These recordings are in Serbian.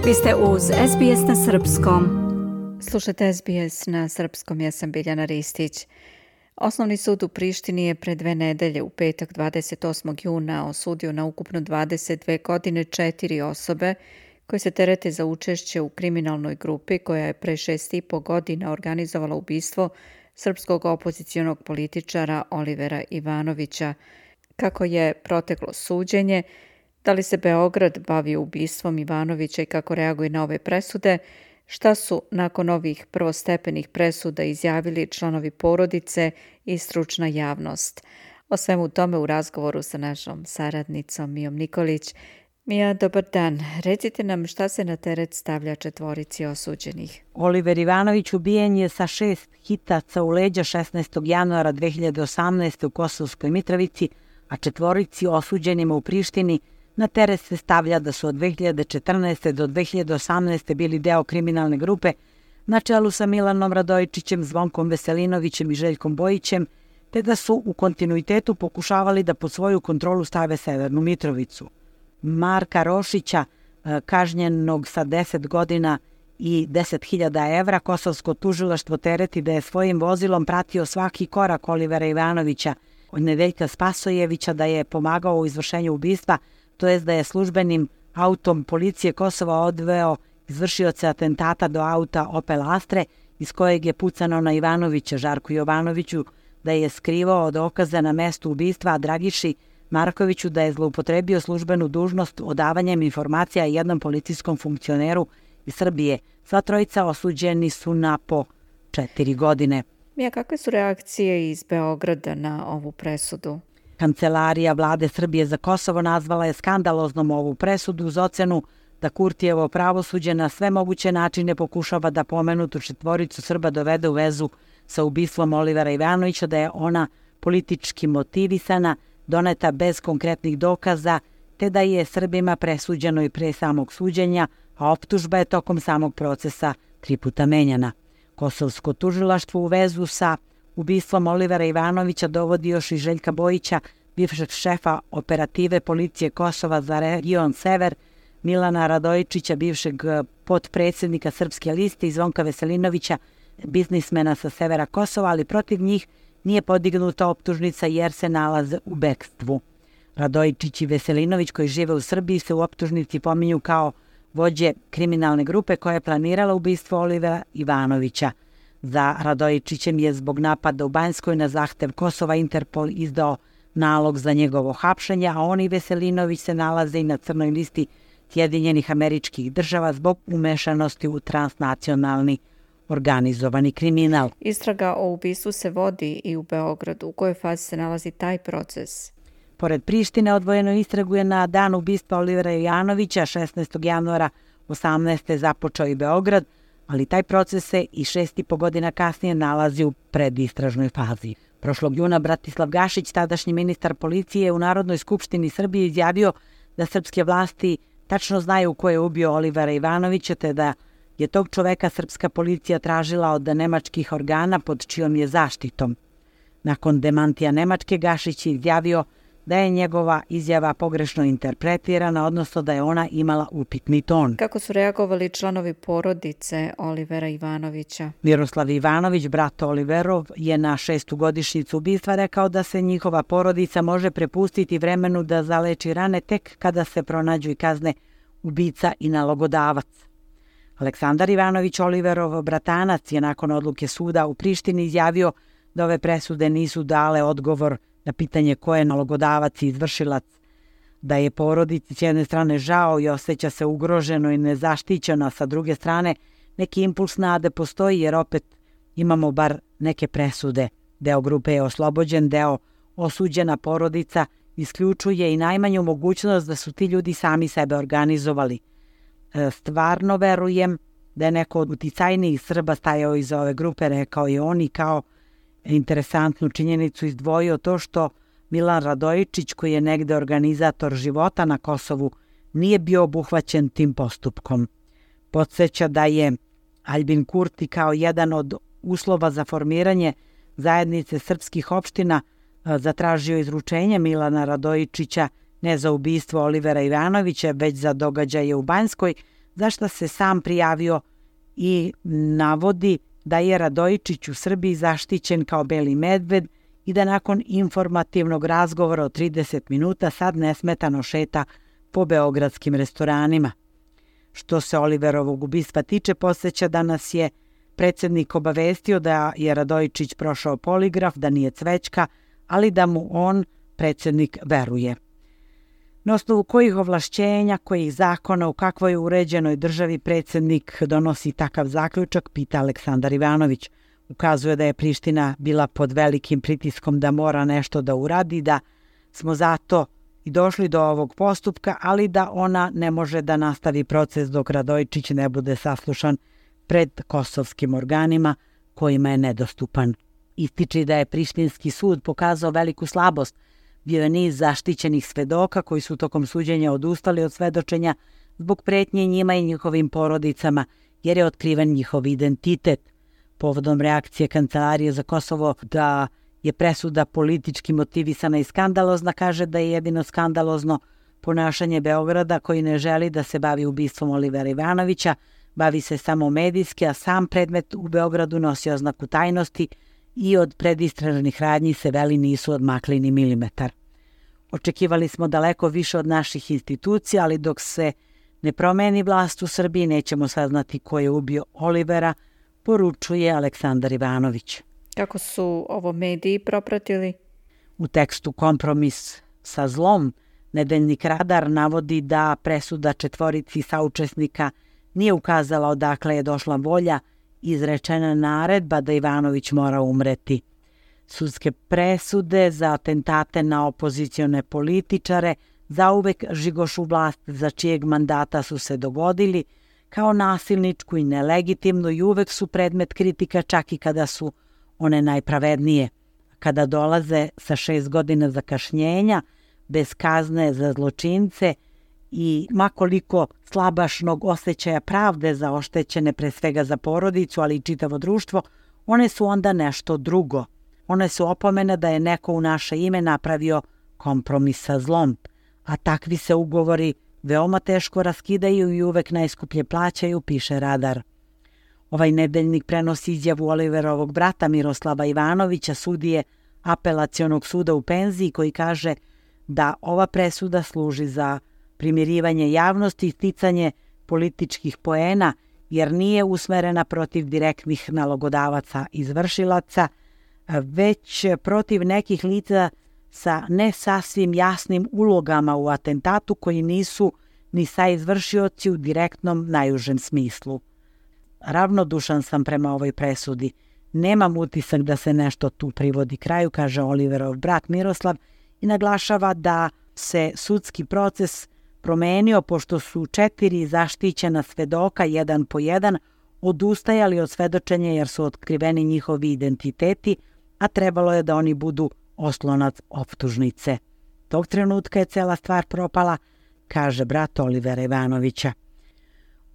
Vi ste uz SBS na Srpskom. Slušajte SBS na Srpskom, ja sam Biljana Ristić. Osnovni sud u Prištini je pre 2 nedelje u petak 28. juna osudio na ukupno 22 godine 4 osobe koje se terete za učešće u kriminalnoj grupi koja je pre 6,5 godina organizovala ubistvo srpskog opozicionog političara Olivera Ivanovića. Kako je proteklo suđenje, da li se Beograd bavi ubistvom Ivanovića i kako reaguje na ove presude, šta su nakon ovih prvostepenih presuda izjavili članovi porodice i stručna javnost. O svemu tome u razgovoru sa našom saradnicom Mijom Nikolić. Mija, dobar dan. Recite nam šta se na teret stavlja 4 osuđenih. Oliver Ivanović ubijen je sa 6 hitaca u leđa 16. januara 2018. u Kosovskoj Mitrovici, a 4 osuđenima u Prištini na teret se stavlja da su od 2014. do 2018. bili deo kriminalne grupe na čelu sa Milanom Radojičićem, Zvonkom Veselinovićem i Željkom Bojićem, te da su u kontinuitetu pokušavali da pod svoju kontrolu stave Severnu Mitrovicu. Marka Rošića, kažnjenog sa 10 godina i 10.000 evra, kosovsko tužilaštvo tereti da je svojim vozilom pratio svaki korak Olivera Ivanovića, od Nedeljka Spasojevića, da je pomagao u izvršenju ubistva, to jest da je službenim autom policije Kosova odveo izvršioce atentata do auta Opel Astre, iz kojeg je pucano na Ivanovića, Žarku Jovanoviću, da je skrivao dokaze na mestu ubistva, a Dragiši Markoviću da je zloupotrebio službenu dužnost odavanjem informacija jednom policijskom funkcioneru iz Srbije. Sva trojica osuđeni su na po 4 godine. Mija, kakve su reakcije iz Beograda na ovu presudu? Kancelarija vlade Srbije za Kosovo nazvala je skandaloznom ovu presudu uz ocenu da Kurtijevo pravosuđe na sve moguće načine pokušava da pomenutu 4 Srba dovede u vezu sa ubistvom Olivera Ivanovića, da je ona politički motivisana, doneta bez konkretnih dokaza, te da je Srbima presuđeno i pre samog suđenja, a optužba je tokom samog procesa 3 puta menjana. Kosovsko tužilaštvo u vezu sa ubistvom Olivera Ivanovića dovodi još i Željka Bojića, bivšeg šefa operative policije Kosova za region Sever, Milana Radojičića, bivšeg potpredsjednika Srpske liste i Zvonka Veselinovića, biznismena sa severa Kosova, ali protiv njih nije podignuta optužnica jer se nalaze u bekstvu. Radojičić i Veselinović, koji žive u Srbiji, se u optužnici pominju kao vođe kriminalne grupe koja je planirala ubistvo Olivera Ivanovića. Za Radojičićem je zbog napada u Banjskoj na zahtev Kosova Interpol izdao nalog za njegovo hapšenje, a on i Veselinović se nalaze i na crnoj listi Sjedinjenih Američkih Država zbog umešanosti u transnacionalni organizovani kriminal. Istraga o ubistvu se vodi i u Beogradu. U kojoj fazi se nalazi taj proces? Pored Prištine, odvojenu istragu je na dan ubistva Olivera Ivanovića 16. januara 18. započeo i Beograd, ali taj proces se i 6,5 godina kasnije nalazi u predistražnoj fazi. Prošlog juna Bratislav Gašić, tadašnji ministar policije, u Narodnoj skupštini Srbije izjavio da srpske vlasti tačno znaju ko je ubio Olivera Ivanovića, te da je tog čoveka srpska policija tražila od nemačkih organa pod čijom je zaštitom. Nakon demantija Nemačke, Gašić je izjavio da je njegova izjava pogrešno interpretirana, odnosno da je ona imala upitni ton. Kako su reagovali članovi porodice Olivera Ivanovića? Miroslav Ivanović, brat Oliverov, je na 6. godišnjicu ubistva rekao da se njihova porodica može prepustiti vremenu da zaleči rane tek kada se pronađu i kazne ubica i nalogodavac. Aleksandar Ivanović, Oliverov bratanac, je nakon odluke suda u Prištini izjavio da ove presude nisu dale odgovor na pitanje ko je nalogodavac i izvršilac, da je porodici s jedne strane žao i osjeća se ugroženo i nezaštićeno, a sa druge strane neki impuls nade postoji jer opet imamo bar neke presude. Deo grupe je oslobođen, deo osuđena porodica isključuje i najmanju mogućnost da su ti ljudi sami sebe organizovali. Stvarno verujem da je neko od uticajnijih Srba stajao iza ove grupe, rekao je on, i kao interesantnu činjenicu izdvojio to što Milan Radojičić, koji je negde organizator života na Kosovu, nije bio obuhvaćen tim postupkom. Podsjeća da je Aljbin Kurti kao jedan od uslova za formiranje zajednice srpskih opština zatražio izručenje Milana Radojičića ne za ubistvo Olivera Ivanovića, već za događaje u Banjskoj, za što se sam prijavio i navodi da je Radojičić u Srbiji zaštićen kao beli medved i da nakon informativnog razgovora od 30 minuta sad nesmetano šeta po beogradskim restoranima. Što se Oliverovog ubistva tiče, podsjeća da nas je predsjednik obavestio da je Radojičić prošao poligraf, da nije cvećka, ali da mu on, predsjednik, veruje. Na osnovu kojih ovlašćenja, kojih zakona, u kakvoj uređenoj državi predsjednik donosi takav zaključak, pita Aleksandar Ivanović. Ukazuje da je Priština bila pod velikim pritiskom da mora nešto da uradi, da smo zato i došli do ovog postupka, ali da ona ne može da nastavi proces dok Radojičić ne bude saslušan pred kosovskim organima kojima je nedostupan. Ističe da je Prištinski sud pokazao veliku slabost. Bio je niz zaštićenih svedoka koji su tokom suđenja odustali od svedočenja zbog pretnje njima i njihovim porodicama, jer je otkriven njihov identitet. Povodom reakcije Kancelarije za Kosovo da je presuda politički motivisana i skandalozna, kaže da je jedino skandalozno ponašanje Beograda koji ne želi da se bavi ubistvom Olivera Ivanovića, bavi se samo medijski, a sam predmet u Beogradu nosi oznaku tajnosti i od predistražnih radnji se veli nisu odmakli ni milimetar. Očekivali smo daleko više od naših institucija, ali dok se ne promeni vlast u Srbiji nećemo saznati ko je ubio Olivera, poručuje Aleksandar Ivanović. Kako su ovo mediji propratili? U tekstu Kompromis sa zlom nedeljnik Radar navodi da presuda 4 saučesnika nije ukazala odakle je došla volja i izrečena naredba da Ivanović mora umreti. Sudske presude za atentate na opozicione političare zauvek žigošu vlast za čijeg mandata su se dogodili kao nasilničku i nelegitimnu i uvek su predmet kritika čak i kada su one najpravednije. Kada dolaze sa 6 godina zakašnjenja, bez kazne za zločince i makoliko slabašnog osjećaja pravde za oštećene, pre svega za porodicu, ali i čitavo društvo, one su onda nešto drugo. One su opomene da je neko u naše ime napravio kompromis sa zlom, a takvi se ugovori veoma teško raskidaju i uvek najskuplje plaćaju, piše Radar. Ovaj nedeljnik prenosi izjavu Oliverovog brata Miroslava Ivanovića, sudije Apelacionog suda u penziji, koji kaže da ova presuda služi za primirivanje javnosti i sticanje političkih poena, jer nije usmerena protiv direktnih nalogodavaca izvršilaca, već protiv nekih lica sa ne sasvim jasnim ulogama u atentatu koji nisu ni saizvršioci u direktnom najužem smislu. Ravnodušan sam prema ovoj presudi. Nemam utisak da se nešto tu privodi kraju, kaže Oliverov brat Miroslav i naglašava da se sudski proces promenio pošto su 4 zaštićena svedoka jedan po jedan odustajali od svedočenja jer su otkriveni njihovi identiteti, a trebalo je da oni budu oslonac optužnice. Tog trenutka je cela stvar propala, kaže brat Olivera Ivanovića.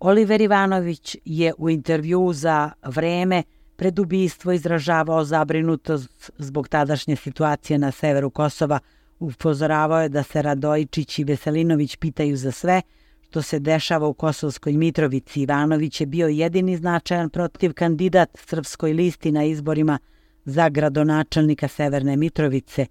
Oliver Ivanović je u intervjuu za Vreme pred ubistvo izražavao zabrinutost zbog tadašnje situacije na severu Kosova. Upozoravao je da se Radojičić i Veselinović pitaju za sve što se dešava u Kosovskoj Mitrovici. Ivanović je bio jedini značajan protiv kandidat Srpskoj listi na izborima za gradonačelnika Severne Mitrovice.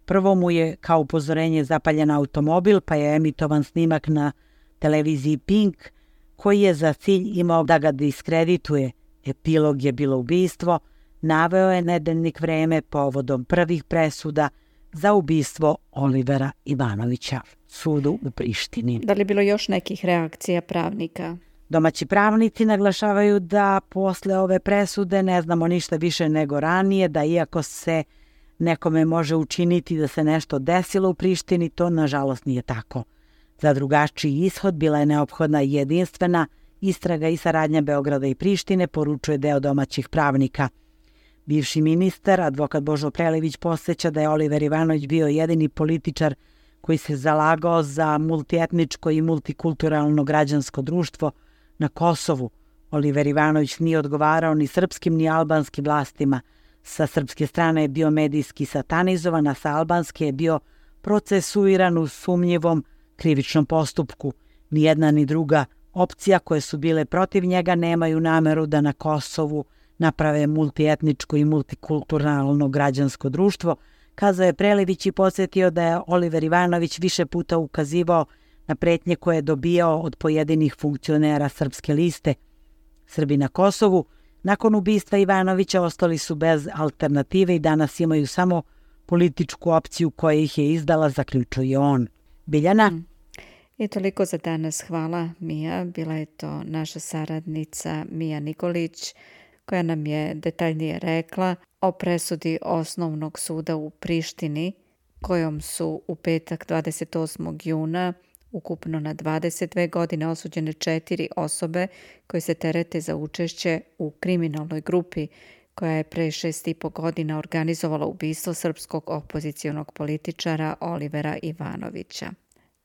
Prvo mu je kao upozorenje zapaljen automobil, pa je emitovan snimak na televiziji Pink, koji je za cilj imao da ga diskredituje. Epilog je bilo ubistvo, naveo je nedeljnik Vreme povodom prvih presuda za ubistvo Olivera Ivanovića sudu u Prištini. Da li je bilo još nekih reakcija pravnika? Domaći pravnici naglašavaju da posle ove presude ne znamo ništa više nego ranije, da iako se nekome može učiniti da se nešto desilo u Prištini, to nažalost nije tako. Za drugačiji ishod bila je neophodna jedinstvena istraga i saradnja Beograda i Prištine, poručuje deo domaćih pravnika. Bivši ministar, advokat Božo Prelević, podsjeća da je Oliver Ivanović bio jedini političar koji se zalagao za multietničko i multikulturalno građansko društvo na Kosovu. Oliver Ivanović nije odgovarao ni srpskim ni albanskim vlastima. Sa srpske strane je bio medijski satanizovan, a sa albanske je bio procesuiran u sumnjivom krivičnom postupku. Nijedna ni druga opcija koje su bile protiv njega nemaju nameru da na Kosovu naprave multietničko i multikulturalno građansko društvo, kazao je Prelević i podsjetio da je Oliver Ivanović više puta ukazivao na pretnje koje je dobijao od pojedinih funkcionera Srpske liste. Srbi na Kosovu nakon ubistva Ivanovića ostali su bez alternative i danas imaju samo političku opciju koja ih je izdala, zaključuje on. Biljana? I toliko za danas. Hvala, Mija. Bila je to naša saradnica Mija Nikolić koja nam je detaljnije rekla o presudi Osnovnog suda u Prištini kojom su u petak 28. juna ukupno na 22 godine osuđene 4 osobe koje se terete za učešće u kriminalnoj grupi koja je pre 6,5 godina organizovala ubistvo srpskog opozicionog političara Olivera Ivanovića.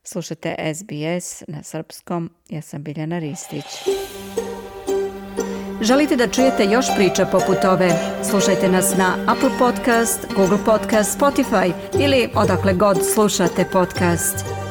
Slušate SBS na srpskom, ja sam Biljana Ristić. Želite da čujete još priča poput ove? Slušajte nas na Apple Podcast, Google Podcast, Spotify ili odakle god slušate podcast.